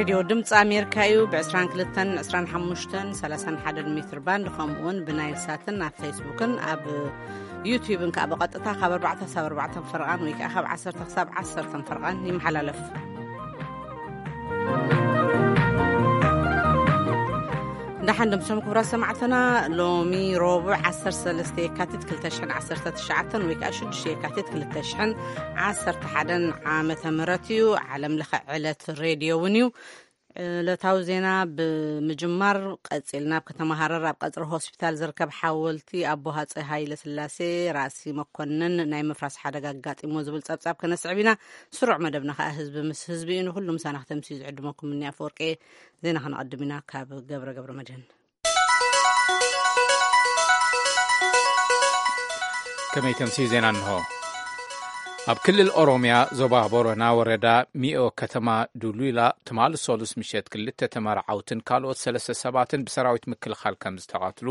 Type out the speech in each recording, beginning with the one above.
ዮ ድምፂ ኣሜሪካ እዩ። ብ22፣ 25፣ 31 ሜትር ባንድ፣ ከምኡውን ብናይል ሳትን ኣብ ፌስቡክን ኣብ ዩቲዩብን ከዓ ብቐጥታ ካብ ኣርባዕተ ሳብ ኣርባዕተ ፈርቓን ወይ ከዓ ካብ ዓሰርተ ክሳብ ዓሰርተ ፈርቓን ይመሓላለፍ። እንዳሓን ደምሶም ክቡራት ሰማዕትና፣ ሎሚ ረቡዕ ዓሰርተ ሰለስተ የካቲት ክልተ ሽሕን ዓሰርተ ትሽዓተን ወይ ከዓ ሽዱሽተ የካቲት ክልተ ሽሕን ዓሰርተ ሓደን ዓመተ ምህረት እዩ። ዓለም ለኸ ዕለት ሬድዮ እውን እዩ። ዕለታዊ ዜና ብምጅማር ቀጺልና፣ ኣብ ከተማ ሃረር ኣብ ቀጽሪ ሆስፒታል ዝርከብ ሓወልቲ ኣቦ ሃጸይ ሃይለ ስላሴ ራእሲ መኮንን ናይ ምፍራስ ሓደጋ ኣጋጢሞ ዝብል ጸብጻብ ከነስዕብ ኢና። ስሩዕ መደብና ከኣ ህዝቢ ምስ ህዝቢ እዩ። ንኹሉ ምሳና ክተምስዩ ዝዕድመኩም እኒ ኣፈወርቂ። ዜና ከነቐድም ኢና ካብ ገብረ ገብረ መድህን። ከመይ ተምስዩ ዜና እንሆ። ኣብ ክልል ኦሮምያ ዞባ ቦረና ወረዳ ሚኦ ከተማ ዱሉላ ትማሊ ሰሉስ ምሸት ክልተ ተመራዓውትን ካልኦት ሰለስተ ሰባትን ብሰራዊት ምክልኻል ከም ዝተቐትሉ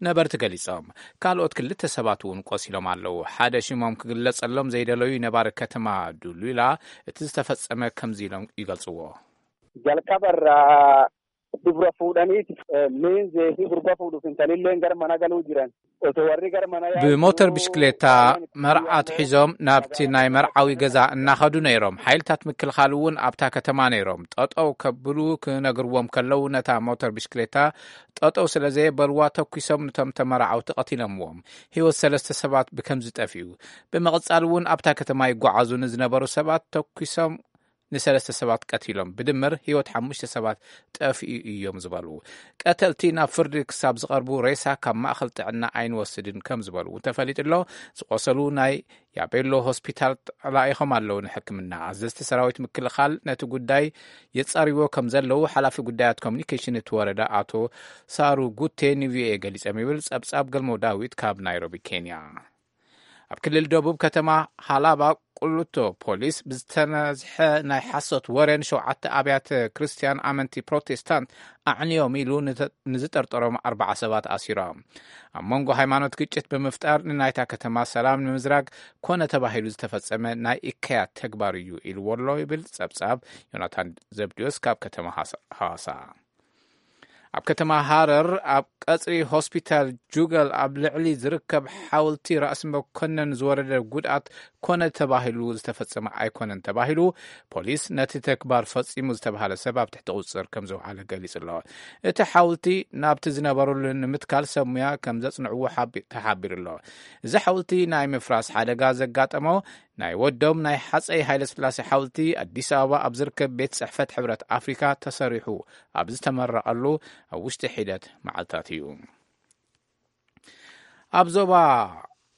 ነበርቲ ገሊጾም። ካልኦት ክልተ ሰባት እውን ቆሲሎም ኣለዉ። ሓደ ሽሞም ክግለጸሎም ዘይደለዩ ነባሪ ከተማ ዱሉላ እቲ ዝተፈጸመ ከምዚ ኢሎም ይገልጽዎ። Jalqabarraa dubra fuudhaniiti, eh, miinzee fi gurba fuudhuuf intalilleen gara mana galuu jiran. Osoo warri gara mana yaa'u ብሞተር ብሽክሌታ መርዓ ኣትሒዞም ናብቲ ናይ መርዓዊ ገዛ እናኸዱ ነይሮም። ሓይልታት ምክልኻል እውን ኣብታ ከተማ ነይሮም። ጠጠው ከብሉ ክነግርዎም ከለዉ ነታ ሞተር ብሽክሌታ ጠጠው ስለ ዘየበልዋ ተኩሶም ነቶም ተመራዓውቲ ቀቲሎምዎም። ህይወት ሰለስተ ሰባት ብከምዚ ጠፊኡ። ብምቕጻል እውን ኣብታ ከተማ ይጓዓዙ ንዝነበሩ ሰባት ተኩሶም ንሰለስተ ሰባት ቀቲሎም። ብድምር ህይወት ሓሙሽተ ሰባት ጠፊኡ እዮም ዝበሉ ቀተልቲ ናብ ፍርዲ ክሳብ ዝቐርቡ ሬሳ ካብ ማእኸል ጥዕና ኣይንወስድን ከም ዝበሉ እውን ተፈሊጡ ኣሎ። ዝቆሰሉ ናይ ያቤሎ ሆስፒታል ተላኢኾም ኣለዉ ንሕክምና። ኣዘዝቲ ሰራዊት ምክልኻል ነቲ ጉዳይ የጻርዎ ከም ዘለዉ ሓላፊ ጉዳያት ኮሚኒኬሽን እቲ ወረዳ ኣቶ ሳሩ ጉቴ ንቪኦኤ ገሊጾም ይብል ጸብጻብ ገልሞ ዳዊት ካብ ናይሮቢ ኬንያ። ኣብ ክልል ደቡብ ከተማ ሃላባ ቁሉቶ ፖሊስ ብዝተነዝሐ ናይ ሓሶት ወረ ንሸውዓተ ኣብያተ ክርስቲያን ኣመንቲ ፕሮቴስታንት ኣዕንዮም ኢሉ ንተ-፣ ንዝጠርጠሮም ኣርባዓ ሰባት ኣሲሮም። ኣብ መንጎ ሃይማኖት ግጭት ብምፍጣር ንናይታ ከተማ ሰላም ንምዝራግ ኮነ ተባሂሉ ዝተፈጸመ ናይ እከያት ተግባር እዩ ኢልዎ ኣሎ ይብል ጸብጻብ ዮናታን ዘብድዮስ ካብ ከተማ ሃሳ-፣ ሃዋሳ። ኣብ ከተማ ሃረር ኣብ ቀጽሪ ሆስፒታል ጁገል ኣብ ልዕሊ ዝርከብ ሓወልቲ ራእሲ መኮነን ዝወረደ ጉድኣት ኮነ ተባሂሉ ዝተፈጸመ ኣይኮነን ተባሂሉ። ፖሊስ ነቲ ተግባር ፈጺሙ ዝተባሃለ ሰብ ኣብ ትሕቲ ቁጽጽር ከም ዘውዓለ ገሊጹ ኣሎ። እቲ ሓወልቲ ናብቲ ዝነበረሉ ንምትካል ሰብ ሙያ ከም ዘጽንዕዎ ሓቢ-፣ ተሓቢሩ ኣሎ። እዚ ሓወልቲ ናይ ምፍራስ ሓደጋ ዘጋጠሞ ናይ ወዶም ናይ ሓፀይ ሃይለስላሴ ሓወልቲ ኣዲስ ኣበባ ኣብ ዝርከብ ቤት ጽሕፈት ሕብረት ኣፍሪካ ተሰሪሑ ኣብ ዝተመረቐሉ ኣብ ውሽጢ ሒደት መዓልታት እዩ። ኣብ ዞባ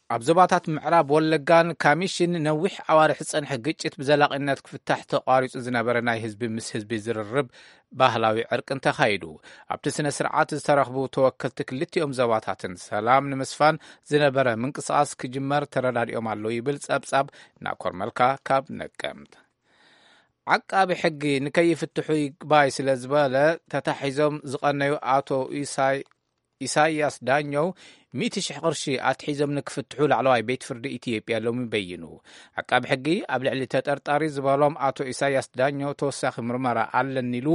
ኣብ ዞባታት ምዕራብ ወለጋን ካሚሽን ነዊሕ ኣዋርሕ ዝጸንሐ ግጭት ብዘላቒነት ክፍታሕ ተቋሪጹ ዝነበረ ናይ ህዝቢ ምስ ህዝቢ ዝርርብ ባህላዊ ዕርቅን ተኻይዱ። ኣብቲ ስነ ስርዓት ዝተረኽቡ ተወከልቲ ክልቲኦም ዞባታትን ሰላም ንምስፋን ዝነበረ ምንቅስቓስ ክጅመር ተረዳዲኦም ኣለዉ ይብል ጸብጻብ ናኮር መልካ ካብ ነቀምት። ዓቃቢ ሕጊ ንከይፍትሑ ይግባይ ስለ ዝበለ ተታሒዞም ዝቐነዩ ኣቶ ኢሳይ-፣ ኢሳያስ ዳኘው ሚእቲ ሽሕ ቅርሺ ኣትሒዞም ንክፍትሑ ላዕለዋይ ቤት ፍርዲ ኢትዮጵያ ሎሚ በይኑ። ዓቃቢ ሕጊ ኣብ ልዕሊ ተጠርጣሪ ዝበሎም ኣቶ ኢሳያስ ዳኘው ተወሳኺ ምርመራ ኣለኒ ኢሉ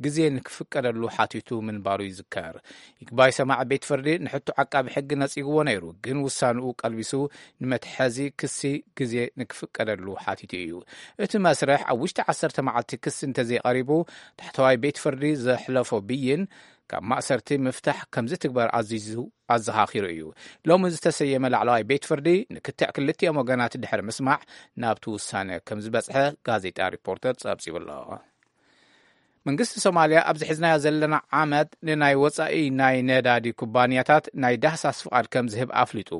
ግዜ ንክፍቀደሉ ሓቲቱ ምንባሩ ይዝከር። ይግባይ ሰማዒ ቤት ፍርዲ ንሕቶ ዓቃቢ ሕጊ ነጺግዎ ነይሩ፣ ግን ውሳንኡ ቀልቢሱ ንመትሐዚ ክሲ ግዜ ንክፍቀደሉ ሓቲቱ እዩ። እቲ መስርሕ ኣብ ውሽጢ ዓሰርተ መዓልቲ ክሲ እንተዘይቐሪቡ ታሕተዋይ ቤት ፍርዲ ዘሕለፎ ብይን ካብ ማእሰርቲ ምፍታሕ ከምዚ ትግበር ኣዚዙ ኣዘኻኺሩ እዩ። ሎሚ ዝተሰየመ ላዕለዋይ ቤት ፍርዲ ንክትዕ ክልቲኦም ወገናት ድሕሪ ምስማዕ ናብቲ ውሳነ ከም ዝበጽሐ ጋዜጣ ሪፖርተር ጸብጺቡ ኣሎ። መንግስቲ ሶማልያ ኣብዚ ሒዝናዮ ዘለና ዓመት ንናይ ወጻኢ ናይ ነዳዲ ኩባንያታት ናይ ዳህሳስ ፍቓድ ከም ዝህብ ኣፍሊጡ።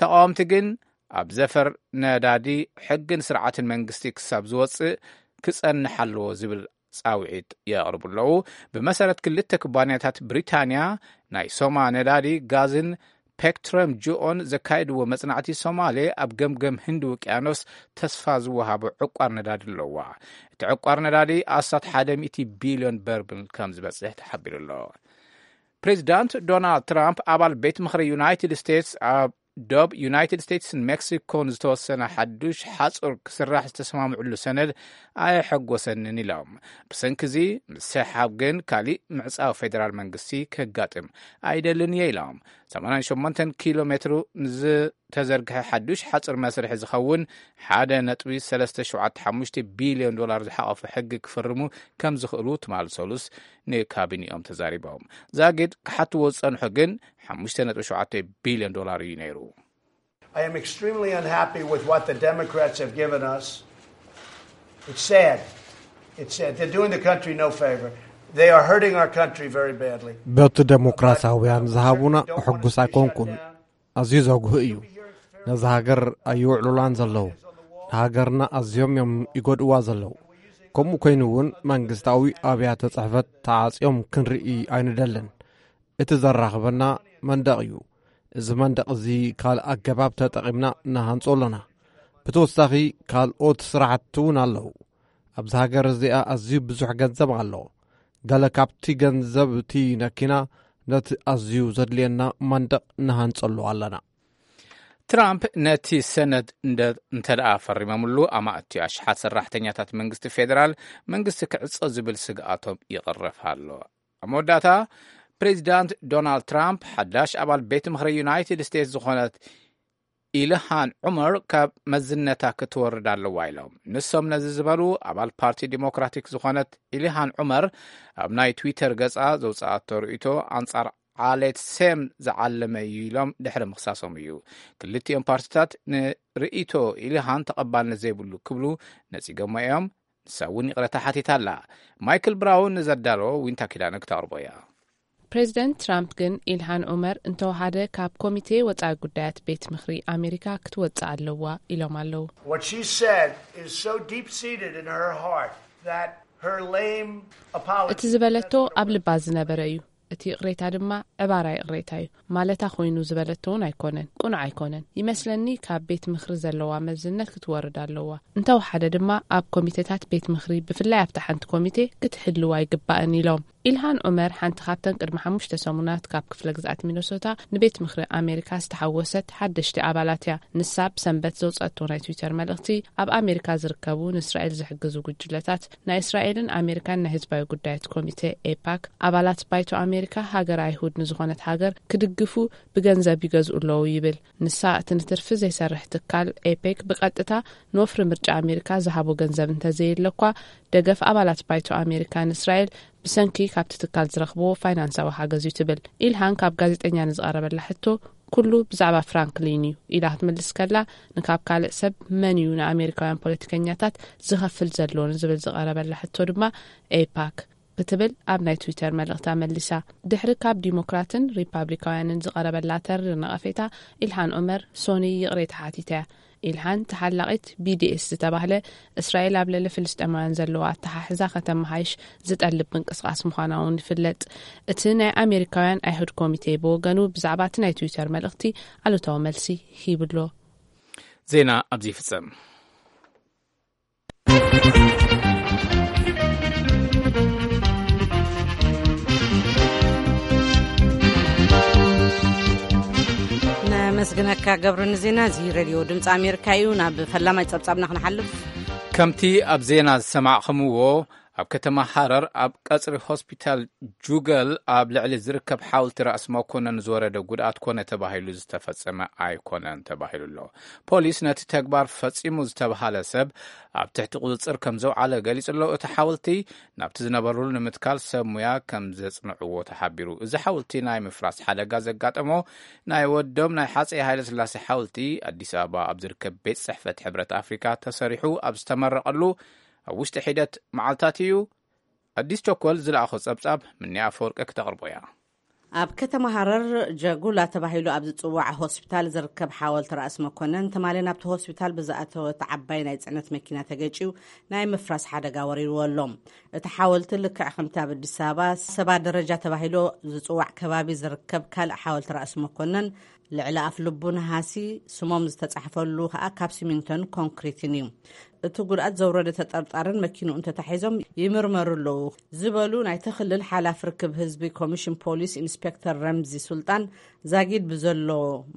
ተቃወምቲ ግን ኣብ ዘፈር ነዳዲ ሕግን ስርዓትን መንግስቲ ክሳብ ዝወጽእ ክጸንሕ ኣለዎ ዝብል ጻውዒት የቕርቡ ኣለዉ። ብመሰረት ክልተ ኩባንያታት ብሪታንያ ናይ ሶማ ነዳዲ ጋዝን ፔክትረም ጅኦን ዘካየድዎ መጽናዕቲ ሶማሌ ኣብ ገምገም ህንዲ ውቅያኖስ ተስፋ ዝወሃቦ ዕቋር ነዳዲ ኣለዋ። እቲ ዕቋር ነዳዲ ኣስታት ሓደ ሚእቲ ቢልዮን በርብል ከም ዝበጽሕ ተሓቢሩ ኣሎ። ፕሬዚዳንት ዶናልድ ትራምፕ ኣባል ቤት ምኽሪ ዩናይትድ ስቴትስ ኣብ ዶብ ዩናይትድ ስቴትስን ሜክሲኮን ዝተወሰነ ሓዱሽ ሓጹር ክስራሕ ዝተሰማምዕሉ ሰነድ ኣየሐጎሰንን ኢሎም። ብሰንኪ እዚ ምስሕሓብ ግን ካሊእ ምዕጻው ፌደራል መንግስቲ ከጋጥም ኣይደልን እየ ኢሎም። ሰማንያን ሸሞንተን ኪሎ ሜትሩ ንዝተዘርግሐ ሓዱሽ ሓጹር መስርሒ ዝኸውን ሓደ ነጥቢ ሰለስተ ሸውዓተ ሓሙሽተ ቢልዮን ዶላር ዝሓቐፈ ሕጊ ክፍርሙ ከም ዝኽእሉ ትማል ሰሉስ ንካቢኒኦም ተዛሪቦም። ዛጊድ ክሓትዎ ዝጸንሑ ግን ሓሙሽተ ነጥቢ ሸውዓተ ቢልዮን ዶላር እዩ ነይሩ። I am extremely unhappy with what the Democrats have given us. It's sad. It's sad. They're doing the country no favor. They are hurting our country very badly. በቲ ደሞክራሲያውያን ዝሃቡና ሕጉስ ኣይኮንኩን። ኣዝዩ ዘጉህ እዩ። ነዚ ሃገር ኣይውዕሉላን ዘለዉ። ንሃገርና ኣዝዮም እዮም ይጎድእዋ ዘለዉ። ከምኡ ኮይኑ እውን መንግስታዊ ኣብያተ ጽሕፈት ተዓጽዮም ክንርኢ ኣይንደልን። እቲ ዘራኽበና መንደቕ እዩ። እዚ መንደቕ እዚ ካልእ ኣገባብ ተጠቒምና ንሃንጾ ኣለና። ብተወሳኺ ካልኦት ስራሕቲ እውን ኣለዉ። ኣብዚ ሃገር እዚኣ ኣዝዩ ብዙሕ ገንዘብ ኣሎ። ገለ ካብቲ ገንዘብ እቲ ነኪና ነቲ ኣዝዩ ዘድልየና መንደቕ ንሃንጸሉ ኣለና። ትራምፕ ነቲ ሰነድ እንተ ደኣ ፈሪሞምሉ ኣማእቲ ኣሽሓት ሰራሕተኛታት መንግስቲ ፌደራል መንግስቲ ክዕጾ ዝብል ስግኣቶም ይቕረፍ ኣሎ። ኣብ መወዳእታ ፕሬዚዳንት ዶናልድ ትራምፕ ሓዳሽ ኣባል ቤት ምኽሪ ዩናይትድ ስቴትስ ዝኾነት ኢልሃን ዑመር ካብ መዝነታ ክትወርድ ኣለዋ ኢሎም። ንሶም ነዚ ዝበሉ ኣባል ፓርቲ ዲሞክራቲክ ዝኾነት ኢልሃን ዑመር ኣብ ናይ ትዊተር ገጻ ዘውፅኣቶ ርእይቶ ኣንጻር ዓሌት ሴም ዝዓለመ እዩ ኢሎም ድሕሪ ምኽሳሶም እዩ። ክልቲኦም ፓርቲታት ንርእይቶ ኢልሃን ተቐባልነት ዘይብሉ ክብሉ ነፂጎሞ እዮም። ንሳ እውን ይቕረታ ሓቲታ ኣላ። ማይክል ብራውን ንዘዳለዎ ዊንታ ኪዳነ ክተቕርቦ እያ። ፕሬዚደንት ትራምፕ ግን ኢልሃን ዑመር እንተወሓደ ካብ ኮሚቴ ወፃኢ ጉዳያት ቤት ምኽሪ ኣሜሪካ ክትወፅእ ኣለዋ ኢሎም ኣለዉ። What she said is so deep seated in her heart that her lame apology እቲ ዝበለቶ ኣብ ልባ ዝነበረ እዩ። እቲ ይቕሬታ ድማ ዕባራ ይቕሬታ እዩ ማለታ ኮይኑ ዝበለቶ እውን ኣይኮነን፣ ቁኑዕ ኣይኮነን። ይመስለኒ ካብ ቤት ምኽሪ ዘለዋ መዝነት ክትወርድ ኣለዋ። እንተወሓደ ድማ ኣብ ኮሚቴታት ቤት ምኽሪ ብፍላይ ኣብታ ሓንቲ ኮሚቴ ክትህልው ኣይግባእን ኢሎም። ኢልሃን ዑመር ሓንቲ ካብተን ቅድሚ ሓሙሽተ ሰሙናት ካብ ክፍለ ግዝኣት ሚነሶታ ንቤት ምኽሪ ኣሜሪካ ዝተሓወሰት ሓደሽቲ ኣባላት እያ። ንሳ ብሰንበት ዘውፀአቶ ናይ ትዊተር መልእኽቲ ኣብ ኣሜሪካ ዝርከቡ ንእስራኤል ዝሕግዙ ጉጅለታት ናይ እስራኤልን ኣሜሪካን ናይ ህዝባዊ ጉዳያት ኮሚቴ ኤፓክ ኣባላት ባይቶ ኣሜሪካ ሃገር ኣይሁድ ንዝኾነት ሃገር ክድግፉ ብገንዘብ ይገዝኡ ኣለዉ ይብል። ንሳ እቲ ንትርፊ ዘይሰርሕ ትካል ኤፔክ ብቐጥታ ንወፍሪ ምርጫ ኣሜሪካ ዝሃቦ ገንዘብ እንተዘየለኳ ደገፍ ኣባላት ባይቶ ኣሜሪካ ንእስራኤል ብሰንኪ ካብቲ ትካል ዝረኽብዎ ፋይናንሳዊ ሓገዝ እዩ ትብል። ኢልሃን ካብ ጋዜጠኛ ንዝቐረበላ ሕቶ ኩሉ ብዛዕባ ፍራንክሊን እዩ ኢላ ክትምልስ ከላ ንካብ ካልእ ሰብ መን እዩ ንኣሜሪካውያን ፖለቲከኛታት ዝኸፍል ዘሎ ንዝብል ዝቐረበላ ሕቶ ድማ ኤፓክ ክትብል ኣብ ናይ ትዊተር መልእኽታ መሊሳ። ድሕሪ ካብ ዲሞክራትን ሪፓብሊካውያንን ዝቐረበላ ተሪር ነቐፌታ ኢልሃን ዑመር ሶኒ ይቕሬታ ሓቲታ እያ። ኢልሃን ተሓላቒት ቢዲኤስ ዝተባህለ እስራኤል ኣብ ልዕሊ ፍልስጤማውያን ዘለዋ ኣተሓሕዛ ከተመሃይሽ ዝጠልብ ምንቅስቓስ ምዃና እውን ይፍለጥ። እቲ ናይ ኣሜሪካውያን ኣይሁድ ኮሚቴ ብወገኑ ብዛዕባ እቲ ናይ ትዊተር መልእኽቲ ኣሉታዊ መልሲ ሂብሎ። ዜና ኣብዚ ይፍጸም። ነመስግነካ ገብሩ ንዜና እዚ ሬድዮ ድምፂ ኣሜሪካ እዩ። ናብ ፈላማይ ፀብፃብና ክንሓልፍ። ከምቲ ኣብ ዜና ዝሰማዕኹምዎ ኣብ ከተማ ሃረር ኣብ ቀፅሪ ሆስፒታል ጁገል ኣብ ልዕሊ ዝርከብ ሓውልቲ ራእሲ መኮነን ዝወረደ ጉድኣት ኮነ ተባሂሉ ዝተፈጸመ ኣይኮነን ተባሂሉ ኣሎ። ፖሊስ ነቲ ተግባር ፈጺሙ ዝተባሃለ ሰብ ኣብ ትሕቲ ቁጽጽር ከም ዘውዓለ ገሊጹ ኣሎ። እቲ ሓወልቲ ናብቲ ዝነበርሉ ንምትካል ሰብ ሙያ ከም ዘጽንዕዎ ተሓቢሩ። እዚ ሓወልቲ ናይ ምፍራስ ሓደጋ ዘጋጠሞ ናይ ወዶም ናይ ሓጸይ ሃይለ ስላሴ ሓወልቲ ኣዲስ ኣበባ ኣብ ዝርከብ ቤት ጽሕፈት ሕብረት ኣፍሪካ ተሰሪሑ ኣብ ዝተመረቐሉ ኣብ ውሽጢ ሒደት መዓልታት እዩ። ኣዲስ ቸኮል ዝለኣኾ ጸብጻብ ምንያ ኣፈወርቂ ክተቕርቦ እያ። ኣብ ከተማ ሃረር ጀጉላ ተባሂሉ ኣብ ዝጽዋዕ ሆስፒታል ዝርከብ ሓወልቲ ራእሲ መኮነን ትማሊ ናብቲ ሆስፒታል ብዝኣተወት ዓባይ ናይ ጽዕነት መኪና ተገጭዩ ናይ ምፍራስ ሓደጋ ወሪድዎ ኣሎ። እቲ ሓወልቲ ልክዕ ከምቲ ኣብ ኣዲስ ኣበባ ሰባ ደረጃ ተባሂሉ ዝጽዋዕ ከባቢ ዝርከብ ካልእ ሓወልቲ ራእሲ መኮነን ልዕሊ ኣፍ ልቡ ነሃሲ ስሞም ዝተጻሕፈሉ ከኣ ካብ ሲሚንቶን ኮንክሪትን እዩ። እቲ ጉድኣት ዘውረደ ተጠርጣርን መኪንኡን ተታሒዞም ይምርመሩ ኣለዉ ዝበሉ ናይቲ ክልል ሓላፊ ርክብ ህዝቢ ኮሚሽን ፖሊስ ኢንስፔክተር ረምዚ ሱልጣን፣ ዛጊድ ብዘሎ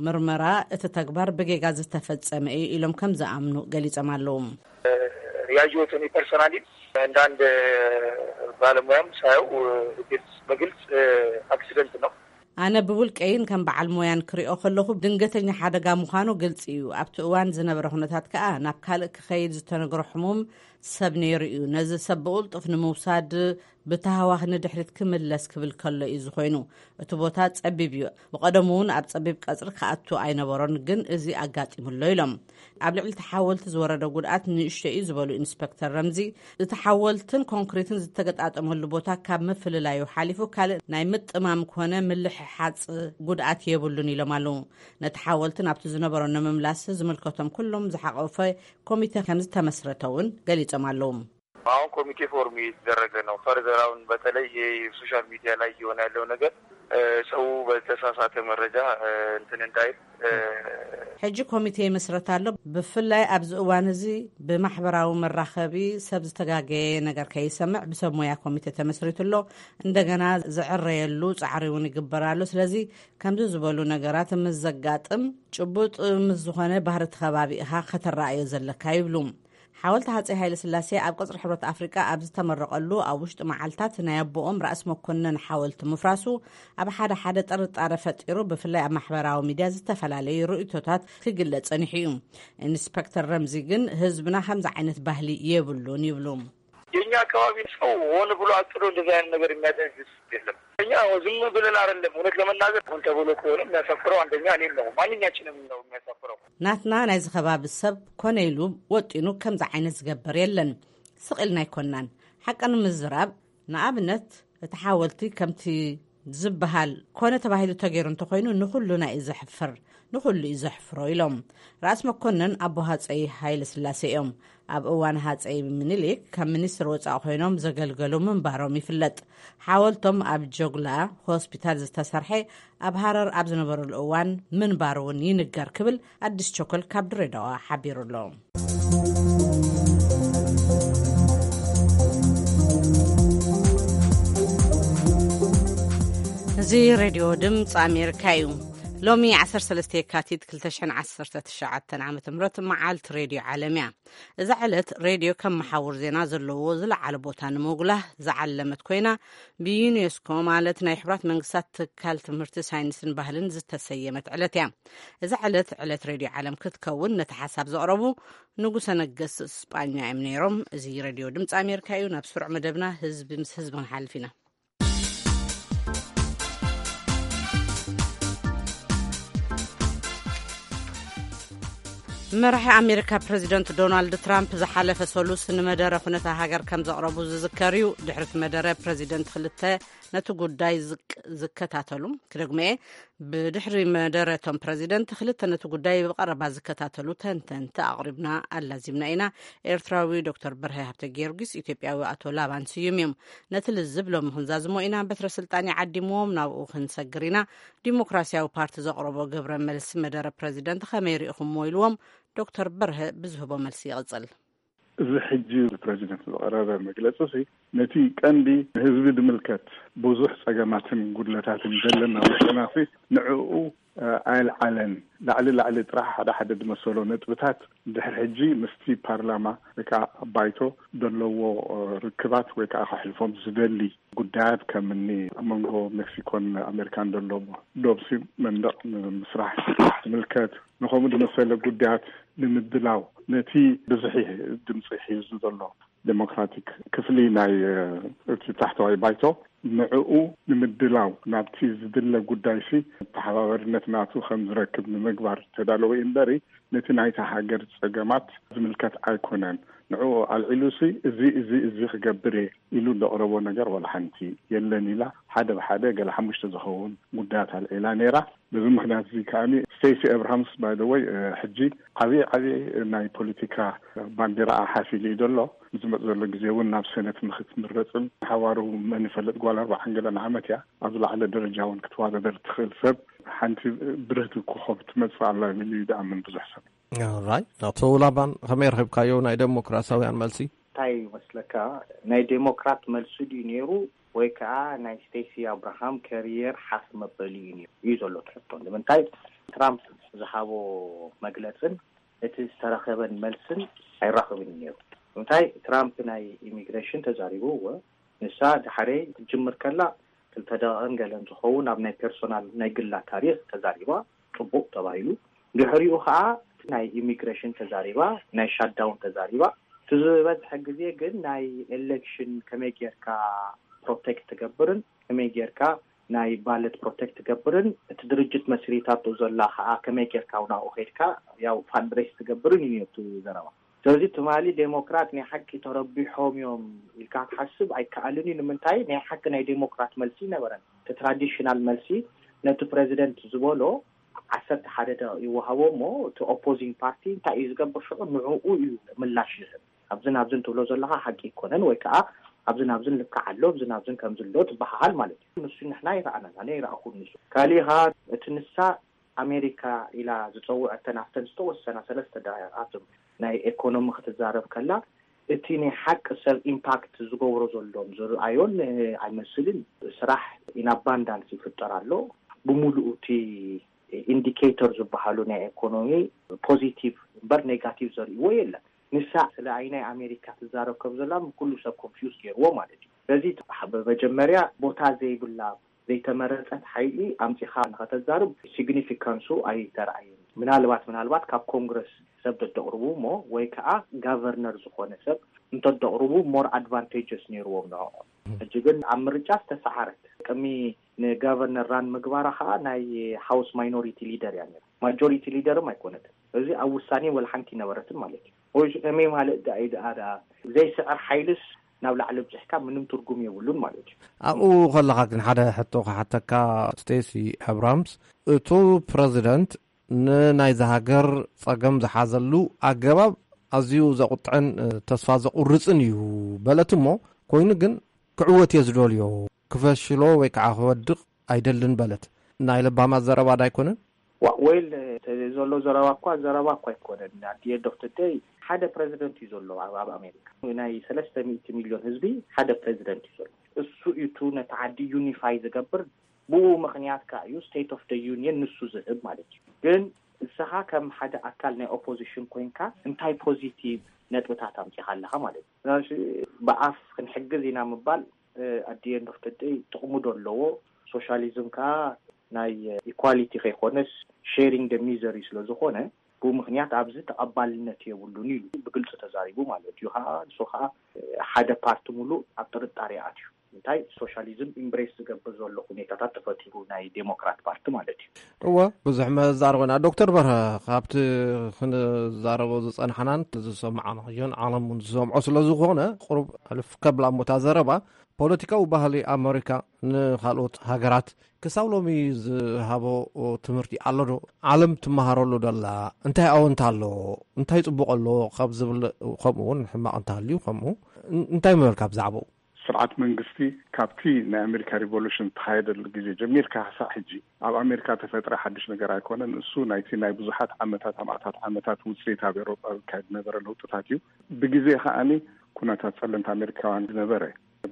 ምርመራ እቲ ተግባር ብጌጋ ዝተፈጸመ እዩ ኢሎም ከም ዝኣምኑ ገሊጾም ኣለዉ። ያየሁት እኔ ፐርሰናሊ እንደ አንድ ባለሙያም ሳየው ግልጽ በግልጽ አክሲደንት ነው። ኣነ ብውልቀይን ከም በዓል ሞያን ክሪኦ ከለኹ ድንገተኛ ሓደጋ ምዃኑ ግልጺ እዩ። ኣብቲ እዋን ዝነበረ ኩነታት ከኣ ናብ ካልእ ክኸይድ ዝተነግሮ ሕሙም ሰብ ነይሩ እዩ። ነዚ ሰብ ብቕልጡፍ ንምውሳድ ብተሃዋኽ ንድሕሪት ክምለስ ክብል ከሎ እዩ ዝኾይኑ። እቲ ቦታ ጸቢብ እዩ። ብቐደሙ እውን ኣብ ጸቢብ ቀጽሪ ክኣቱ ኣይነበሮን፣ ግን እዚ ኣጋጢሙ ኣሎ ኢሎም። ኣብ ልዕሊ እቲ ሓወልቲ ዝወረደ ጉድኣት ንእሽቶ እዩ ዝበሉ ኢንስፔክተር ረምዚ፣ እቲ ሓወልትን ኮንክሪትን ዝተገጣጠመሉ ቦታ ካብ ምፍልላዩ ሓሊፉ ካልእ ናይ ምጥማም ኮነ ምልሕሓፅ ጉድኣት የብሉን ኢሎም ኣለዉ። ነቲ ሓወልቲ ናብቲ ዝነበሮ ንምምላስ ዝምልከቶም ኩሎም ዝሓቆፈ ኮሚቴ ከም ዝተመስረተ እውን ገሊጾም ኣለዉ። አሁን ኮሚቴ ፎርም እየተደረገ ነው። ፈርዘር አሁን በተለይ ይሄ ሶሻል ሚዲያ ላይ እየሆነ ያለው ነገር ሰው በተሳሳተ መረጃ እንትን እንዳይል። ሕጂ ኮሚቴ ይመስረት ኣሎ። ብፍላይ ኣብዚ እዋን እዚ ብማሕበራዊ መራኸቢ ሰብ ዝተጋገየ ነገር ከይሰምዕ ብሰብ ሞያ ኮሚቴ ተመስሪቱ ኣሎ። እንደገና ዝዕረየሉ ፃዕሪ እውን ይግበር ኣሎ። ስለዚ ከምዚ ዝበሉ ነገራት ምስ ዘጋጥም ጭቡጥ ምስ ዝኾነ ባህሪ እቲ ከባቢ ኢኻ ከተረኣዮ ዘለካ ይብሉ። ሓወልቲ ሃፀይ ሃይለ ስላሴ ኣብ ቅፅሪ ሕብረት ኣፍሪቃ ኣብ ዝተመረቐሉ ኣብ ውሽጢ መዓልታት ናይ ኣቦኦም ራእሲ መኮነን ሓወልቲ ምፍራሱ ኣብ ሓደ ሓደ ጥርጣረ ፈጢሩ፣ ብፍላይ ኣብ ማሕበራዊ ሚድያ ዝተፈላለዩ ርእይቶታት ክግለጽ ጸኒሑ እዩ። ኢንስፐክተር ረምዚ ግን ህዝብና ከምዚ ዓይነት ባህሊ የብሉን ይብሉ። የኛ አካባቢ ሰው ሆን ብሎ አቅዶ እንደዚህ አይነት ነገር የሚያደርግ የለም። እኛ ዝም ብለን አይደለም፣ እውነት ለመናገር ሆን ተብሎ ከሆነ የሚያሳፍረው አንደኛ እኔን ነው፣ ማንኛችንም ነው የሚያሳፍረው። ናትና ናይዚ ከባቢ ሰብ ኮነ ኢሉ ወጢኑ ከምዚ ዓይነት ዝገብር የለን። ስቕ ኢልና ኣይኮናን። ሓቂ ንምዝራብ፣ ንኣብነት እቲ ሓወልቲ ከምቲ ዝበሃል ኮነ ተባሂሉ ተገይሩ እንተኾይኑ ንኹሉና እዩ ዘሕፍር፣ ንኹሉ እዩ ዘሕፍሮ ኢሎም። ራእሲ መኮንን ኣቦ ሃፀይ ሃይለ ስላሴ እዮም። ኣብ እዋን ሃፀይ ምኒልክ ከም ሚኒስትር ወፃኢ ኮይኖም ዘገልገሉ ምንባሮም ይፍለጥ። ሓወልቶም ኣብ ጆግላ ሆስፒታል ዝተሰርሐ ኣብ ሃረር ኣብ ዝነበሩሉ እዋን ምንባሩ እውን ይንገር ክብል ኣዲስ ቸኮል ካብ ድሬዳዋ ሓቢሩ ኣሎ። እዚ ሬድዮ ድምፂ ኣሜሪካ እዩ። ሎሚ ዓሰርተ ሰለስተ የካቲት ክልተ ሽሕን ዓሰርተ ትሽዓተን ዓመተ ምህረት መዓልቲ ሬድዮ ዓለም እያ። እዛ ዕለት ሬድዮ ከም መሓውር ዜና ዘለዎ ዝለዓለ ቦታ ንምጉላህ ዝዓለመት ኮይና፣ ብዩኔስኮ ማለት ናይ ሕቡራት መንግስታት ትካል ትምህርቲ፣ ሳይንስን ባህልን ዝተሰየመት ዕለት እያ። እዛ ዕለት ዕለት ሬድዮ ዓለም ክትከውን ነቲ ሓሳብ ዘቕረቡ ንጉሰ ነገስት ስጳኛ እዮም ነይሮም። እዚ ሬድዮ ድምፂ ኣሜሪካ እዩ። ናብ ስሩዕ መደብና ህዝቢ ምስ ህዝቢ ክንሓልፍ ኢና። መራሒ ኣሜሪካ ፕረዚደንት ዶናልድ ትራምፕ ዝሓለፈ ሰሉስ ንመደረ ኩነታ ሃገር ከም ዘቕረቡ ዝዝከር እዩ። ድሕሪ እቲ መደረ ፕረዚደንት ክልተ ነቲ ጉዳይ ዝቅ- ዝከታተሉ፣ ክደግመኤ፣ ብድሕሪ መደረ እቶም ፕረዚደንት ክልተ ነቲ ጉዳይ ብቐረባ ዝከታተሉ ተንተንቲ ኣቕሪብና ኣላዚምና ኢና። ኤርትራዊ ዶክተር በርሀ ሃብተ ጊዮርጊስ፣ ኢትዮጵያዊ ኣቶ ላባን ስዩም እዮም። ነቲ ልዝብ ሎሚ ክንዛዝሞ ኢና። በትረ ስልጣን ይዓዲምዎም ናብኡ ክንሰግር ኢና። ዲሞክራሲያዊ ፓርቲ ዘቕረቦ ግብረ መልሲ መደረ ፕረዚደንት ከመይ ርኢኹምዎ ኢልዎም። ዶክተር በርሀ ብዝህቦ መልሲ ይቕጽል። እዚ ሕጂ ብፕረዚደንት ዝቐረበ መግለጺ ሲ ነቲ ቀንዲ ንህዝቢ ድምልከት ብዙሕ ጸገማትን ጉድለታትን ዘለና ውጥና ሲ ንዕኡ ኣየልዓለን። ላዕሊ ላዕሊ ጥራሕ ሓደ ሓደ ዝመሰሎ ነጥብታት ድሕሪ ሕጂ ምስቲ ፓርላማ ወይ ከዓ ባይቶ ዘለዎ ርክባት ወይ ከዓ ከሕልፎም ዝደሊ ጉዳያት ከም እኒ ኣብ መንጎ ሜክሲኮን ኣሜሪካን ዘሎ ዶብሲ መንደቕ ንምስራሕ ዝምልከት ንከምኡ ዝመሰለ ጉዳያት ንምድላው ነቲ ብዝሒ ድምፂ ሒዙ ዘሎ ዴሞክራቲክ ክፍሊ ናይ እቲ ታሕተዋይ ባይቶ ንዕኡ ንምድላው ናብቲ ዝድለ ጉዳይ ሲ ተሓባበርነት ናቱ ከም ዝረክብ ንምግባር ተዳለወ እዩ እምበሪ ነቲ ናይታ ሃገር ጸገማት ዝምልከት ኣይኮነን። ንዕኡ ኣልዒሉ ሲ እዚ እዚ እዚ ክገብር እየ ኢሉ ዘቕረቦ ነገር ዋላ ሓንቲ የለን ኢላ ሓደ ብሓደ ገለ ሓሙሽተ ዝኸውን ጉዳያት ኣልዒላ ነይራ። በዚ ምክንያት እዚ ከኣኒ ስቴሲ ኣብርሃምስ ባይ ዘ ወይ ሕጂ ዓብዪ ዓብዪ ናይ ፖለቲካ ባንዲራኣ ሓፍ ኢሉ እዩ ዘሎ። ዝመጽእ ዘሎ ግዜ እውን ናብ ሰነት ንክትምረጽን ሓዋሩ መን ይፈልጥ ጓል ኣርባዓን ገለን ዓመት እያ ኣብ ዝለዓለ ደረጃ እውን ክትዋዳደር ትኽእል ሰብ ሓንቲ ብርህቲ ኮኾብ ትመጽእ ኣላ ኢሉ እዩ ዝኣምን ብዙሕ ሰብ። ራይ ኣቶ ላባን ከመይ ረኺብካዮ ናይ ዴሞክራሲያውያን መልሲ? እንታይ ይመስለካ? ናይ ዴሞክራት መልሲ ድዩ ነይሩ ወይ ከዓ ናይ ስቴሲ ኣብርሃም ከሪየር ሓፍ መበሊ እዩ ነይሩ እዩ ዘሎ ትሕቶ። ንምንታይ ትራምፕ ዝሃቦ መግለፅን እቲ ዝተረኸበን መልስን ኣይራኸብን ነይሩ። እንታይ ትራምፕ ናይ ኢሚግሬሽን ተዛሪቡ እወ ንሳ ድሓረይ ክትጅምር ከላ ክልተ ደቂቕን ገለን ዝኸውን ኣብ ናይ ፐርሶናል ናይ ግላ ታሪክ ተዛሪባ፣ ፅቡቅ ተባሂሉ። ድሕሪኡ ከዓ ናይ ኢሚግሬሽን ተዛሪባ፣ ናይ ሻዳውን ተዛሪባ። እቲ ዝበዝሐ ግዜ ግን ናይ ኤሌክሽን ከመይ ጌርካ ፕሮቴክት ትገብርን ከመይ ጌርካ ናይ ባለት ፕሮቴክት ትገብርን እቲ ድርጅት መስሪታቶ ዘላ ከዓ ከመይ ጌርካ ናብኡ ከይድካ ያው ፋንድሬስ ትገብርን እዩ እቲ ዘረባ። ስለዚ ትማሊ ዴሞክራት ናይ ሓቂ ተረቢሖም እዮም ኢልካ ክትሓስብ ኣይከኣልን እዩ። ንምንታይ? ናይ ሓቂ ናይ ዴሞክራት መልሲ ይነበረን። እቲ ትራዲሽናል መልሲ ነቲ ፕሬዚደንት ዝበሎ ዓሰርተ ሓደ ደቂቕ ይወሃቦ እሞ እቲ ኦፖዚንግ ፓርቲ እንታይ እዩ ዝገብር ሽዑ ንዕኡ እዩ ምላሽ ዝህብ። ኣብዝን ኣብዝን ትብሎ ዘለካ ሓቂ ይኮነን ወይ ከዓ ኣብዝን ኣብዝን ልክዕ ኣሎ ኣብዝን ኣብዝን ከምዚ ኣሎ ትበሃሃል ማለት እዩ። ንሱ ንሕና ይረኣናን ኣነ ይረኣኹን ንሱ ካሊኻ እቲ ንሳ ኣሜሪካ ኢላ ዝፀውዐተን ኣብተን ዝተወሰና ሰለስተ ደቂቃት ናይ ኤኮኖሚ ክትዛረብ ከላ እቲ ናይ ሓቂ ሰብ ኢምፓክት ዝገብሮ ዘሎም ዝረኣዮን ኣይመስልን። ስራሕ ኢን ኣባንዳንስ ይፍጠር ኣሎ። ብሙሉኡ እቲ ኢንዲኬተር ዝበሃሉ ናይ ኤኮኖሚ ፖዚቲቭ እምበር ኔጋቲቭ ዘርእዎ የለን። ንሳ ስለ ኣይናይ ኣሜሪካ ትዛረብ ከም ዘላ ኩሉ ሰብ ኮንፊውዝ ገይርዎ ማለት እዩ። ስለዚ መጀመርያ ቦታ ዘይብላ ዘይተመረፀት ሓይሊ ኣምፂኻ ንኸተዛርብ ሲግኒፊካንሱ ኣይተረኣየን። ምናልባት ምናልባት ካብ ኮንግረስ ሰብ ተተቕርቡ እሞ ወይ ከዓ ጋቨርነር ዝኾነ ሰብ እንተተቕርቡ ሞር ኣድቫንቴጀስ ነይርዎም ንዕኦም። ሕጂ ግን ኣብ ምርጫ ዝተሰዓረት ቅድሚ ንጋቨርነር ራን ምግባራ ከዓ ናይ ሃውስ ማይኖሪቲ ሊደር እያ ነይራ። ማጆሪቲ ሊደርም ኣይኮነትን። እዚ ኣብ ውሳኔ ወላ ሓንቲ ይነበረትን ማለት እዩ። ወይ ከመይ ማለት ደኣ እዩ ደኣ ደኣ ዘይስዕር ሓይልስ ናብ ላዕሊ ብፅሕካ ምንም ትርጉም የብሉን ማለት እዩ። ኣብኡ ከለኻ ግን ሓደ ሕቶ ክሓተካ ስቴሲ ኣብራምስ፣ እቱ ፕረዚደንት ንናይዚ ሃገር ጸገም ዝሓዘሉ ኣገባብ ኣዝዩ ዘቑጥዕን ተስፋ ዘቑርጽን እዩ በለት እሞ፣ ኮይኑ ግን ክዕወት እየ ዝደልዮ፣ ክፈሽሎ ወይ ከዓ ክወድቕ ኣይደልን በለት። ናይ ለባማት ዘረባ ዳይኮነን? ዋ ወይል ዘሎ ዘረባ እኳ ዘረባ እኳ ኣይኮነን። ኣት ኤንድ ኦፍ ደይ ሓደ ፕረዚደንት እዩ ዘሎ ኣብ ኣሜሪካ። ናይ ሰለስተ ሚእቲ ሚልዮን ህዝቢ ሓደ ፕረዚደንት እዩ ዘሎ። እሱ እዩ ነቲ ዓዲ ዩኒፋይ ዝገብር። ብኡ ምኽንያት ከ እዩ ስቴት ኦፍ ደ ዩኒየን ንሱ ዝህብ ማለት እዩ። ግን ንስኻ ከም ሓደ ኣካል ናይ ኦፖዚሽን ኮይንካ እንታይ ፖዚቲቭ ነጥብታት ኣምፂኻ ኣለኻ ማለት እዩ። ብኣፍ ክንሕግዝ ኢና ምባል ኣት ኤንድ ኦፍ ደይ ጥቕሙ ዶ ኣለዎ? ሶሻሊዝም ከዓ ናይ ኢኳሊቲ ከይኮነስ ሼሪንግ ደ ሚዘሪ ስለዝኾነ ብኡ ምኽንያት ኣብዚ ተቐባልነት የብሉን ኢሉ ብግልፂ ተዛሪቡ ማለት እዩ። ከዓ ንሱ ከዓ ሓደ ፓርቲ ሙሉእ ኣብ ጥርጣሬ ኣትዩ። እንታይ ሶሻሊዝም ኢምብሬስ ዝገብር ዘሎ ሁኔታታት ተፈጢሩ ናይ ዴሞክራት ፓርቲ ማለት እዩ። እወ ብዙሕ መዛረበና ዶክተር በርሀ ካብቲ ክንዛረቦ ዝፀናሕናን ዝሰማዕናዮን ዓለም እውን ዝሰምዖ ስለዝኾነ ቁሩብ ሕልፍ ከብላ እሞ እታ ዘረባ ፖለቲካዊ ባህሊ ኣመሪካ ንካልኦት ሃገራት ክሳብ ሎሚ ዝሃቦ ትምህርቲ ኣሎ ዶ? ዓለም ትመሃረሉ ደላ እንታይ ኣወንታ ኣሎ? እንታይ ፅቡቕ ኣሎ? ካብ ዝብል ከምኡ እውን ሕማቕ እንተሃልዩ ከምኡ እንታይ ምበልካ ብዛዕባኡ? ስርዓት መንግስቲ ካብቲ ናይ ኣሜሪካ ሪቮሉሽን ዝተኻየደሉ ግዜ ጀሚርካ ክሳዕ ሕጂ ኣብ ኣሜሪካ ተፈጥረ ሓድሽ ነገር ኣይኮነን። እሱ ናይቲ ናይ ብዙሓት ዓመታት ኣማእታት ዓመታት ውፅኢት ኣብ ኤውሮጳ ዝካየድ ዝነበረ ለውጥታት እዩ። ብግዜ ከዓኒ ኩነታት ፀለምቲ ኣሜሪካውያን ዝነበረ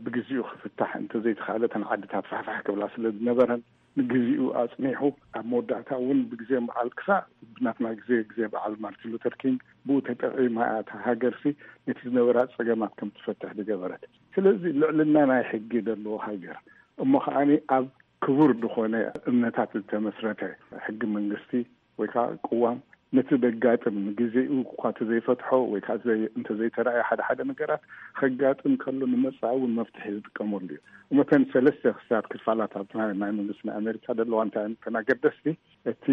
ብግዚኡ ክፍታሕ እንተዘይተኻእለ እተን ዓድታት ፋሕፋሕ ክብላ ስለ ዝነበረን ንግዚኡ ኣፅኒሑ ኣብ መወዳእታ እውን ብግዜ በዓል ክሳዕ ብናትና ግዜ ግዜ በዓል ማርቲን ሉተር ኪንግ ብኡ ተጠቒማ እያ እታ ሃገርሲ ነቲ ዝነበራ ፀገማት ከም ትፈትሕ ዝገበረት። ስለዚ ልዕልና ናይ ሕጊ ዘለዎ ሃገር እሞ ከዓኒ ኣብ ክቡር ዝኾነ እምነታት ዝተመስረተ ሕጊ መንግስቲ ወይ ከዓ ቅዋም ነቲ ዘጋጥም ንግዜኡ እኳ ተዘይፈትሖ ወይ ከዓ እንተዘይተረኣየ ሓደ ሓደ ነገራት ከጋጥም ከሎ ንመጻኢ እውን መፍትሒ ዝጥቀመሉ እዩ። እመተን ሰለስተ ክስታት ክፋላት ኣብቲ ናይ መንግስቲ ናይ ኣሜሪካ ዘለዋ እንታይ እተን ኣገደስቲ እቲ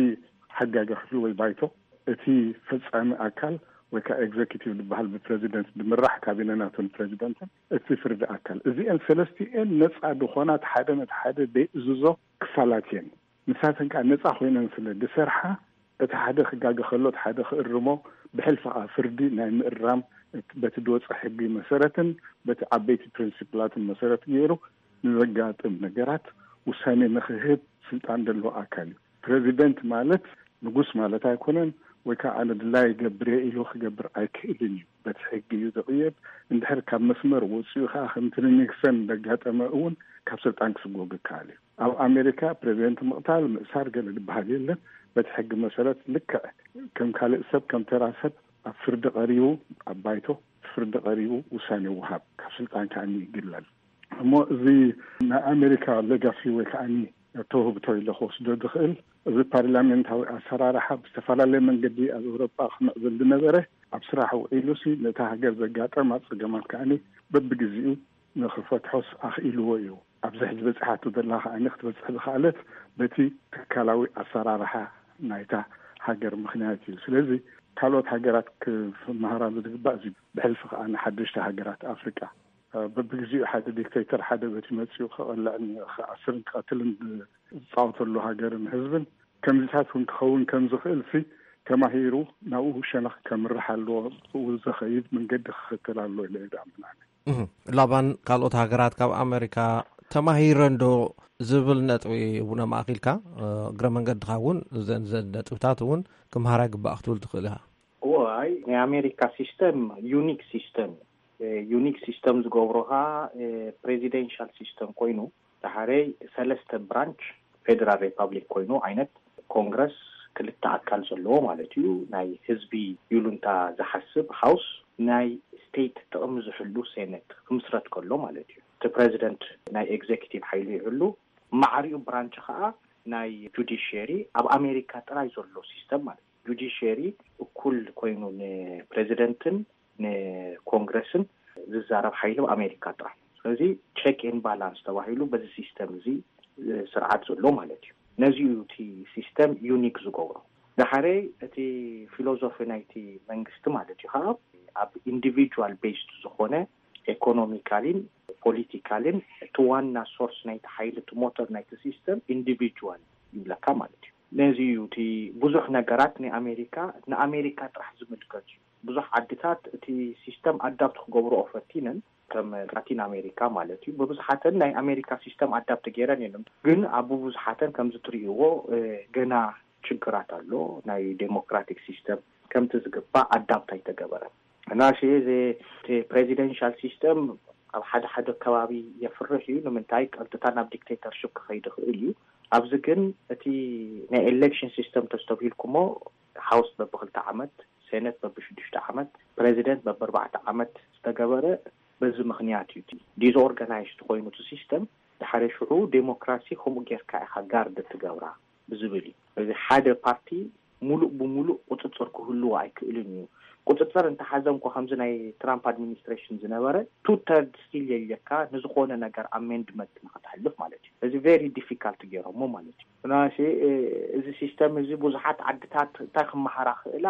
ሓጋጊ ክፍሊ ወይ ባይቶ እቲ ፈጻሚ ኣካል ወይ ከዓ ኤግዘኪቲቭ ዝበሃል ብፕረዚደንት ዝምራሕ ካቢነ ናቱን ፕረዚደንትን እቲ ፍርዲ ኣካል እዚአን ሰለስቲኤን ነፃ ዝኾና ሓደ ነቲ ሓደ ዘይእዝዞ ክፋላት እየን። ንሳተን ከዓ ነፃ ኮይነን ስለ ዝሰርሓ እቲ ሓደ ክጋገ ከሎ እቲ ሓደ ክእርሞ ብሕልፊ ከዓ ፍርዲ ናይ ምእራም በቲ ድወፀ ሕጊ መሰረትን በቲ ዓበይቲ ፕሪንሲፕላትን መሰረት ገይሩ ንዘጋጥም ነገራት ውሳኔ ንክህብ ስልጣን ዘለዎ ኣካል እዩ። ፕሬዚደንት ማለት ንጉስ ማለት ኣይኮነን፣ ወይ ከዓ ኣነ ድላይ ገብር ኢሉ ክገብር ኣይክእልን እዩ። በቲ ሕጊ እዩ ዝቕየድ። እንድሕር ካብ መስመር ወፂኡ ከዓ ከምቲ ንኒክሰን ዘጋጠመ እውን ካብ ስልጣን ክስጎግ ይከኣል እዩ። ኣብ ኣሜሪካ ፕሬዚደንት ምቕታል፣ ምእሳር ገለ ዝበሃል የለን። በቲ ሕጊ መሰረት ልክዕ ከም ካልእ ሰብ፣ ከም ተራ ሰብ ኣብ ፍርዲ ቀሪቡ፣ ኣብ ባይቶ ፍርዲ ቀሪቡ ውሳኔ ይወሃብ፣ ካብ ስልጣን ከዓ ይግለል። እሞ እዚ ናይ ኣሜሪካ ሌጋሲ ወይ ከዓ ተውህብቶ ኢለ ክወስዶ ዝኽእል፣ እዚ ፓርላሜንታዊ ኣሰራርሓ ብዝተፈላለየ መንገዲ ኣብ ኤውሮጳ ክምዕብል ዝነበረ ኣብ ስራሕ ውዒሉ ሲ ነታ ሃገር ዘጋጠማ ጸገማት ከዓ በብግዜኡ ንኽፈትሖስ ኣኽኢልዎ እዩ። ኣብዚ ሕጂ በፂሓቶ ዘላ ከዓ ክትበፅሕ ዝኸኣለት በቲ ትካላዊ ኣሰራርሓ ናይታ ሃገር ምኽንያት እዩ። ስለዚ ካልኦት ሃገራት ክመሃራሉ ዝግባእ እዚ። ብሕልፊ ከዓ ንሓደሽቲ ሃገራት ኣፍሪቃ በብግዜኡ ሓደ ዲክቴተር ሓደ በቲ መፂኡ ክቐልዕን ክኣስርን ክቐትልን ዝፃወተሉ ሃገርን ህዝብን ከምዚታት እውን ክኸውን ከም ዝኽእል ሲ ተማሂሩ ናብኡ ሸነኽ ከምርሕ ኣለዎ። ብኡ ዘኸይድ መንገዲ ክኽተል ኣለዎ ኢለ እየ ዝኣምን ኣነ። እህ፣ ላባን ካልኦት ሃገራት ካብ ኣሜሪካ ተማሂረን ዶ ዝብል ነጥቢ እውን ኣማእኪልካ፣ እ፣ እግረ መንገድኻ እውን እዘን፣ እዘን ነጥብታት እውን ክምሃራ ይግባእ ክትብል ትኽእል ኢኻ። እዋይ፣ ናይ ኣሜሪካ ሲስተም ዩኒክ ሲስተም እዩ። እ፣ ዩኒክ ሲስተም ዝገብሮ ኸዓ፣ እ፣ ፕሬዚደንሻል ሲስተም ኮይኑ፣ ዳሕረይ ሰለስተ ብራንች ፌደራል ሪፓብሊክ ኮይኑ ዓይነት ኮንግረስ ክልተ ኣካል ዘለዎ ማለት እዩ። ናይ ህዝቢ ይሉንታ ዝሓስብ ሃውስ፣ ናይ ስቴት ጥቕሚ ዝሕሉ ሴኔት ክምስረት ከሎ ማለት እዩ። እቲ ፕሬዚደንት ናይ ኤግዜኪቲቭ ሓይሉ ይሕሉ፣ ማዕሪኡ ብራንች ኸዓ ናይ ጁዲሽየሪ፣ ኣብ ኣሜሪካ ጥራይ ዘሎ ሲስተም ማለት እዩ። ጁዲሽየሪ እኩል ኮይኑ ንፕሬዚደንትን ንኮንግረስን ዝዛረብ ሓይሊ ኣብ ኣሜሪካ ጥራሕ። ስለዚ ቼክ ኤን ባላንስ ተባሂሉ በዚ ሲስተም እዚ ስርዓት ዘሎ ማለት እዩ። ነዚ እዩ እቲ ሲስተም ዩኒክ ዝገብሮ። ዳሕረይ እቲ ፊሎዞፊ ናይቲ መንግስቲ ማለት እዩ ከዓ ኣብ ኢንዲቪጁዋል ቤስድ ዝኾነ ኤኮኖሚካሊን ፖሊቲካልን እቲ ዋና ሶርስ ናይቲ ሓይሊ እቲ ሞተር ናይቲ ሲስተም ኢንዲቪጁዋል ይብለካ ማለት እዩ። ነዚ እዩ እቲ ብዙሕ ነገራት ናይ ኣሜሪካ ንኣሜሪካ ጥራሕ ዝምልከት እዩ። ብዙሕ ዓድታት እቲ ሲስተም ኣዳፕት ክገብርኦ ፈቲነን ከም ላቲን ኣሜሪካ ማለት እዩ። ብብዝሓተን ናይ ኣሜሪካ ሲስተም ኣዳፕት ገይረን የለን፣ ግን ኣብ ብብዝሓተን ከምዚ ትርእይዎ ገና ችግራት ኣሎ። ናይ ዴሞክራቲክ ሲስተም ከምቲ ዝግባእ ኣዳፕት ኣይተገበረን። እና ሲ እዚ ፕሬዚደንሻል ሲስተም ኣብ ሓደ ሓደ ከባቢ የፍርሕ እዩ። ንምንታይ ቀጥታ ናብ ዲክቴተርሽፕ ክኸይድ ይኽእል እዩ። ኣብዚ ግን እቲ ናይ ኤሌክሽን ሲስተም ተስተብሂልኩሞ፣ ሃውስ በብክልተ ዓመት፣ ሴኔት በብሽዱሽተ ዓመት፣ ፕሬዚደንት በብኣርባዕተ ዓመት ዝተገበረ በዚ ምኽንያት እዩ። ዲስኦርጋናይዝድ ኮይኑ እቲ ሲስተም፣ ድሓረ ሽዑ ዴሞክራሲ ከምኡ ጌርካ ኢኻ ጋርድ ትገብራ ብዝብል እዩ። እዚ ሓደ ፓርቲ ሙሉእ ብሙሉእ ቁፅፅር ክህልዎ ኣይክእልን እዩ። ቁፅፅር እንተሓዘ እንኳ ከምዚ ናይ ትራምፕ ኣድሚኒስትሬሽን ዝነበረ ቱ ተርድ ስቲል የልየካ ንዝኾነ ነገር ኣሜንድመንት ንክተሕልፍ ማለት እዩ። እዚ ቨሪ ዲፊካልት ገይሮሞ ማለት እዩ። ምናልባት እዚ ሲስተም እዚ ብዙሓት ዓድታት እንታይ ክመሃራ ክእላ፣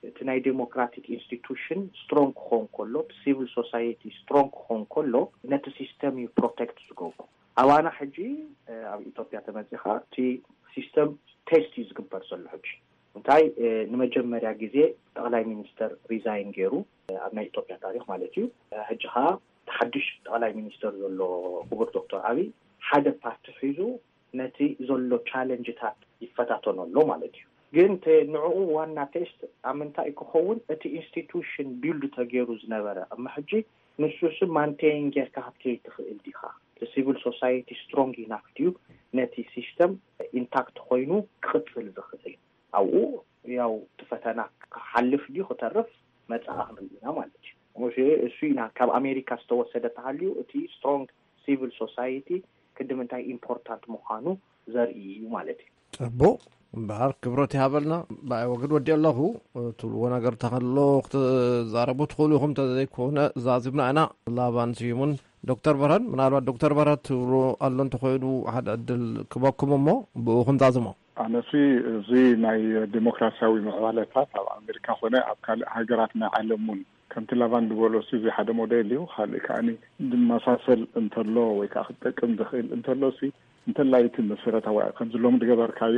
እቲ ናይ ዴሞክራቲክ ኢንስቲቱሽን ስትሮንግ ክኾን ከሎ፣ እቲ ሲቪል ሶሳይቲ ስትሮንግ ክኾን ከሎ ነቲ ሲስተም እዩ ፕሮቴክት ዝገብሩ። ኣባና ሕጂ ኣብ ኢትዮጵያ ተመፂኻ እቲ ሲስተም ቴስት እዩ ዝግበር ዘሎ ሕጂ። እንታይ ንመጀመርያ ግዜ ጠቕላይ ሚኒስተር ሪዛይን ገይሩ ኣብ ናይ ኢትዮጵያ ታሪክ ማለት እዩ። ሕጂ ከዓ ሓድሽ ጠቕላይ ሚኒስተር ዘሎ ክቡር ዶክተር ኣብይ ሓደ ፓርቲ ሒዙ ነቲ ዘሎ ቻለንጅታት ይፈታተኖ ኣሎ ማለት እዩ። ግን ንዕኡ ዋና ቴስት ኣብ ምንታይ ክኸውን፣ እቲ ኢንስቲቱሽን ቢልድ ተገይሩ ዝነበረ እማ ሕጂ ንሱስ ማንቴን ጌርካ ክትከይድ ትኽእል ዲኻ? እቲ ሲቪል ሶሳይቲ ስትሮንግ ኢናፍ ድዩ ነቲ ሲስተም ኢንታክት ኮይኑ ክቕፅል ዝኽእል? ኣብኡ ያው እቲ ፈተና ክሓልፍ ድዩ ክተርፍ መፅኣ ክንርኢ ኢና ማለት እዩ። እሱ ኢና ካብ ኣሜሪካ ዝተወሰደ ተሃልዩ እቲ ስትሮንግ ሲቪል ሶሳይቲ ክዲ ምንታይ ኢምፖርታንት ምዃኑ ዘርኢ እዩ ማለት እዩ። ፅቡቕ። እምበኣር ክብረት ይሃበልና። ብኣይ ወግድ ወዲ ኣለኹ። ትብልዎ ነገር ተኸሎ ክትዛረቡ ትኽእሉ ኢኹም፣ እንተዘይኮነ ዛዚምና ኢና። ላባን ስዩምን ዶክተር በረድ፣ ምናልባት ዶክተር በረድ ትብሉ ኣሎ እንተኾይኑ ሓደ ዕድል ክበኩም እሞ ብኡ ክንዛዝሞ። ኣነሲ እዚ ናይ ዲሞክራሲያዊ ምዕባለታት ኣብ ኣሜሪካ ኮነ ኣብ ካልእ ሃገራት ናይ ዓለም እውን ከምቲ ላቫን ዝበሎ ሲ እዚ ሓደ ሞዴል እዩ። ካልእ ከዓኒ ዝመሳሰል እንተሎ ወይ ከዓ ክጠቅም ዝኽእል እንተሎ ሲ እንተላይ እቲ መሰረታዊ ከምዚ ሎሚ ዝገበርካዮ፣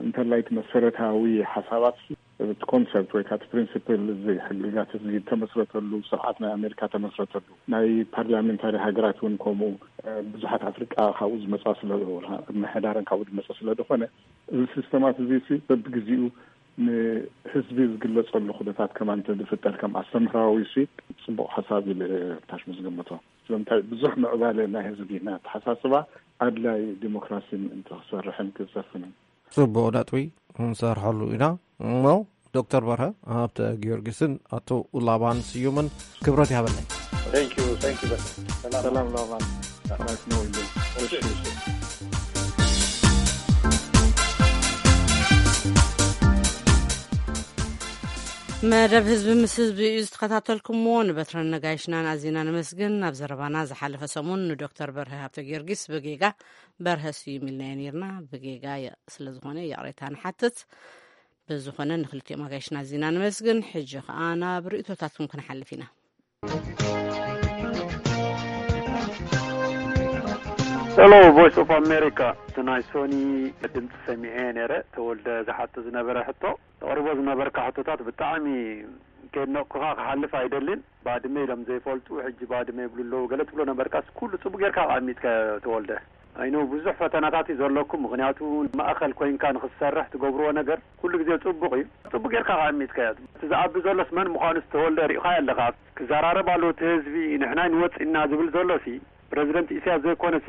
እንተላይ እቲ መሰረታዊ ሓሳባት፣ እቲ ኮንሰፕት ወይ ከዓ እቲ ፕሪንሲፕል፣ እዚ ሕግጋት እዚ ተመስረተሉ፣ ስርዓት ናይ ኣሜሪካ ተመስረተሉ፣ ናይ ፓርላሜንታሪ ሃገራት እውን ከምኡ፣ ብዙሓት ኣፍሪቃ ካብኡ ዝመፃ ስለ፣ ምሕዳረን ካብኡ ዝመፀ ስለ ዝኾነ፣ እዚ ሲስተማት እዚ ሲ በብግዜኡ ንህዝቢ ዝግለፀሉ ኩነታት ከማን እንተዝፍጠር ከም ኣስተምህራዊ ሲ ፅቡቕ ሓሳብ ኢለ ታሽሙ ዝገምቶ። ስለምንታይ ብዙሕ ምዕባለ ናይ ህዝቢ ናይ ኣተሓሳስባ ኣድላይ ዲሞክራሲ ምእንቲ ክሰርሕን ክሰፍንን። ጽቡቕ ነጥቢ፣ ክንሰርሐሉ ኢና። እሞ ዶክተር በርሀ ሃብተ ጊዮርጊስን ኣቶ ላባን ስዩምን ክብረት ይሃበለይ። Thank you, thank you በርሀ። ሰላም። ሰላም ላባን። ናይስ ነው ኢሉ። እሺ፣ እሺ። መደብ ህዝቢ ምስ ህዝቢ እዩ ዝተኸታተልኩምዎ። ንበትረን ነጋይሽናን ኣዚና ነመስግን። ናብ ዘረባና ዝሓለፈ ሰሙን ንዶክተር በርሀ ሃብተ ጊዮርጊስ ብጌጋ በርሀ ስዩም ኢልናዮ ነይርና። ብጌጋ የ- ስለ ዝኾነ ይቕሬታ ንሓትት። ብዝኾነ ንክልቲኦም ኣጋይሽና ኣዚና ነመስግን። ሕጂ ኸኣ ናብ ርእይቶታትኩም ክንሓልፍ ኢና። Hello, Voice of America. እቲ ናይ ሶኒ ድምፂ ሰሚዐ ነይረ። ተወልደ ዝሓቶ ዝነበረ ሕቶ ተቕርቦ ዝነበርካ ሕቶታት ብጣዕሚ ከድነቕኩኻ ክሓልፍ ኣይደልን። ባድመ ኢሎም ዘይፈልጡ ሕጂ ባድመ ይብሉ ኣለዉ ገለ ትብሎ ነበርካስ ኩሉ ጽቡቅ ጌርካ ኣቐሚጥካ ተወልደ። ኣይኖ ብዙሕ ፈተናታት እዩ ዘለኩም፣ ምኽንያቱ ማእኸል ኮይንካ ንኽትሰርሕ ትገብርዎ ነገር ኩሉ ግዜ ጽቡቕ እዩ። ጽቡቅ ጌርካ ኣቐሚጥካዮ። እቲ ዝኣቢ ዘሎስ መን ምዃኑስ ተወልደ ሪእኻዮ ኣለኻ። ክዘራረብ ኣለዎ እቲ ህዝቢ፣ ንሕና ንወጽእ ኢና ዝብል ዘሎሲ ፕረዚደንት ኢሳያስ ዘይኮነሲ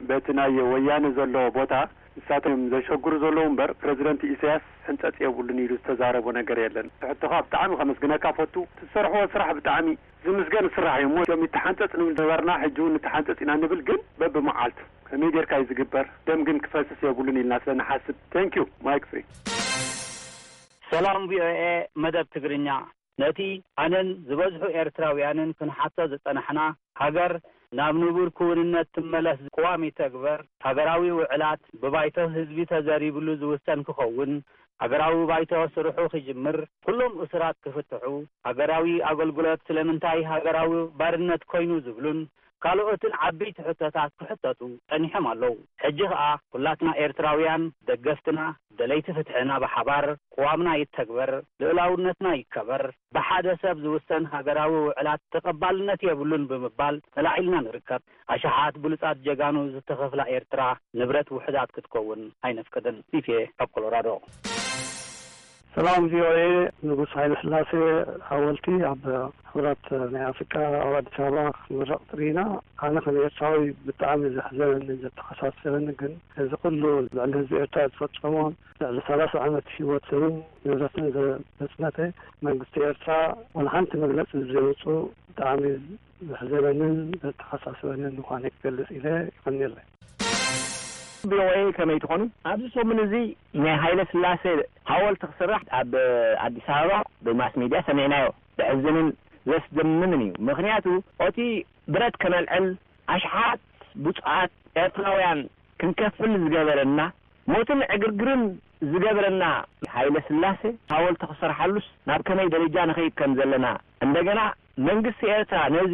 በቲ ናይ ወያነ ዘሎ ቦታ ንሳቶም ዘሸግሩ ዘለዉ እምበር ፕረዚደንት ኢሳያስ ሕንጸጽ የብሉን ኢሉ ዝተዛረቦ ነገር የለን። ሕቶኻ ብጣዕሚ ከመስግነካ ፈቱ። ትሰርሕዎ ስራሕ ብጣዕሚ ዝምስገን ስራሕ እዩ እሞ እቶም ይተሓንጸጽ ንብል ነበርና ሕጂ እውን ንተሓንጸጽ ኢና ንብል ግን በብመዓልቱ ከመይ ጌርካ እዩ ዝግበር? ደም ግን ክፈስስ የብሉን ኢልና ስለ ንሓስብ። Thank you. Mike free. ሰላም ቪኦኤ መደብ ትግርኛ። ነቲ ኣነን ዝበዝሑ ኤርትራውያንን ክንሓቶ ዝጸናሕና፣ ሃገር ናብ ንቡር ክውንነት ትመለስ፣ ቅዋም ይተግበር፣ ሃገራዊ ውዕላት ብባይቶ ህዝቢ ተዘሪብሉ ዝውሰን ክኸውን፣ ሃገራዊ ባይቶ ስርሑ ክጅምር፣ ኩሎም እሱራት ክፍትሑ፣ ሃገራዊ ኣገልግሎት ስለምንታይ ሃገራዊ ባርነት ኮይኑ ዝብሉን ካልኦትን ዓበይቲ ሕቶታት ክሕተቱ ጸኒሖም ኣለዉ። ሕጂ ኸኣ ኩላትና ኤርትራውያን ደገፍትና ደለይቲ ፍትሕና ብሓባር ቅዋምና ይተግበር፣ ልኡላውነትና ይከበር፣ ብሓደ ሰብ ዝውሰን ሃገራዊ ውዕላት ተቐባልነት የብሉን ብምባል ተላዒልና ንርከብ። ኣሽሓት ብሉጻት ጀጋኑ ዝተኸፍላ ኤርትራ ንብረት ውሑዳት ክትከውን ኣይነፍቅድን። ፊፌ ካብ ኮሎራዶ። ሰላም ቪኦኤ። ንጉስ ሃይለ ስላሴ ሓወልቲ ኣብ ሕቡራት ናይ ኣፍሪቃ ኣብ ኣዲስ ኣበባ ክትምረቕ ትርኢና። ኣነ ከም ኤርትራዊ ብጣዕሚ ዘሕዘነኒ ዘተሓሳሰበኒ ግን እዚ ኩሉ ልዕሊ ህዝቢ ኤርትራ ዝፈጸሞን ልዕሊ ሰላሳ ዓመት ህይወትን ንብረትን ዘጽነተ መንግስቲ ኤርትራ ዋላ ሓንቲ መግለጺ ብዘይወጹ ብጣዕሚ ዘሕዘነንን ዘተሓሳሰበንን ምዃነ ክገልጽ ኢለ ይቐንየለይ። ቪኦኤ ከመይ ትኾኑ? ኣብዚ ሰሙን እዚ ናይ ሃይለ ስላሴ ሓወልቲ ክስራሕ ኣብ ኣዲስ ኣበባ ብማስ ሚድያ ሰሚዕናዮ። ዘሕዝንን ዘስደምምን እዩ። ምኽንያቱ ኦቲ ብረት ከነልዕል ኣሽሓት ብፁዓት ኤርትራውያን ክንከፍል ዝገበረና ሞትን ዕግርግርን ዝገበረና ሃይለ ስላሴ ሓወልቲ ክሰርሓሉስ ናብ ከመይ ደረጃ ንኸይድ ከም ዘለና እንደገና መንግስቲ ኤርትራ ነዚ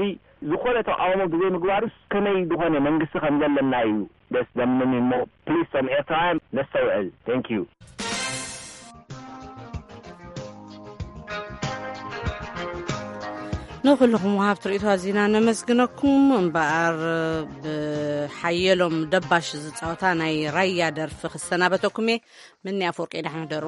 ዝኾነ ተቃውሞ ብዘይ ምግባሩስ ከመይ ዝኾነ መንግስቲ ከም ዘለና እዩ ደስ ዘምን እሞ ፕሊስ ቶም ኤርትራውያን ነስተውዕል። Thank you። ንኩልኹም ወሃብቲ ርእይቶ ኣዚና ነመስግነኩም። እምበኣር ብሓየሎም ደባሽ ዝጻወታ ናይ ራያ ደርፊ ክሰናበተኩም እየ። ምኒ ኣፈወርቂ ደሓን ሕደሩ።